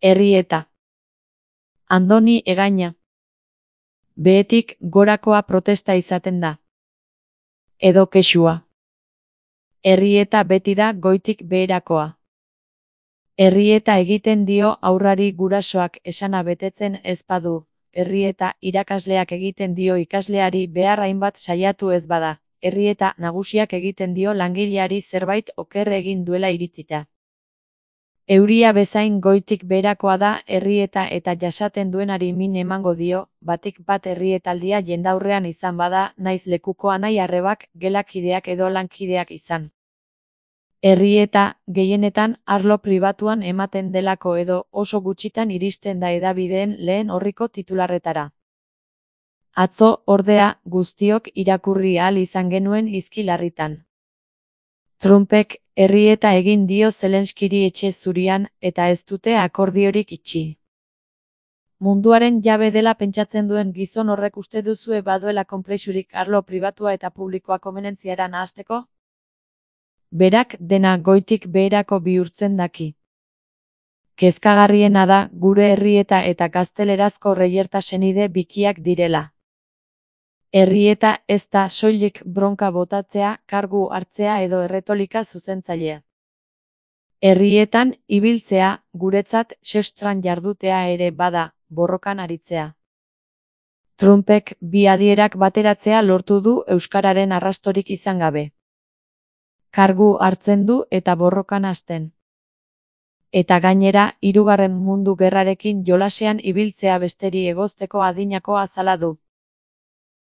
Errieta. Andoni egaina. Behetik gorakoa protesta izaten da. Edo kexua. Errieta beti da goitik beherakoa. Errieta egiten dio haurrari gurasoak esana betetzen ez badu. Errieta irakasleak egiten dio ikasleari behar hainbat saiatu ez bada. Errieta nagusiak egiten dio langileari zerbait oker egin duela iritzita. Euria bezain goitik beherakoa da errieta eta jasaten duenari min emango dio, batik bat errietaldia jendaurrean izan bada, naiz lekuko anai-arrebak, gelakideak edo lankideak izan. Errieta, gehienetan, arlo pribatuan ematen delako edo oso gutxitan iristen da hedabideen lehen orriko titularretara. Atzo, ordea, guztiok irakurri ahal izan genuen hizki larritan. Trumpek errieta egin dio Zelenskiri etxe zurian, eta ez dute akordiorik itxi. Munduaren jabe dela pentsatzen duen gizon horrek uste duzue baduela konplexurik arlo pribatua eta publikoa konbenentziara nahasteko? Berak dena goitik beherako bihurtzen daki. Kezkagarriena da gure errieta eta gaztelerazko reierta senide bikiak direla. Errieta ez da soilik bronka botatzea, kargu hartzea edo erretolika zuzentzailea. Errietan ibiltzea, guretzat sextran jardutea ere bada, borrokan aritzea. Trumpek bi adierak bateratzea lortu du euskararen arrastorik izan gabe. Kargu hartzen du eta borrokan hasten. Eta gainera, Hirugarren Mundu Gerrarekin jolasean ibiltzea besteri egozteko adinako azala du.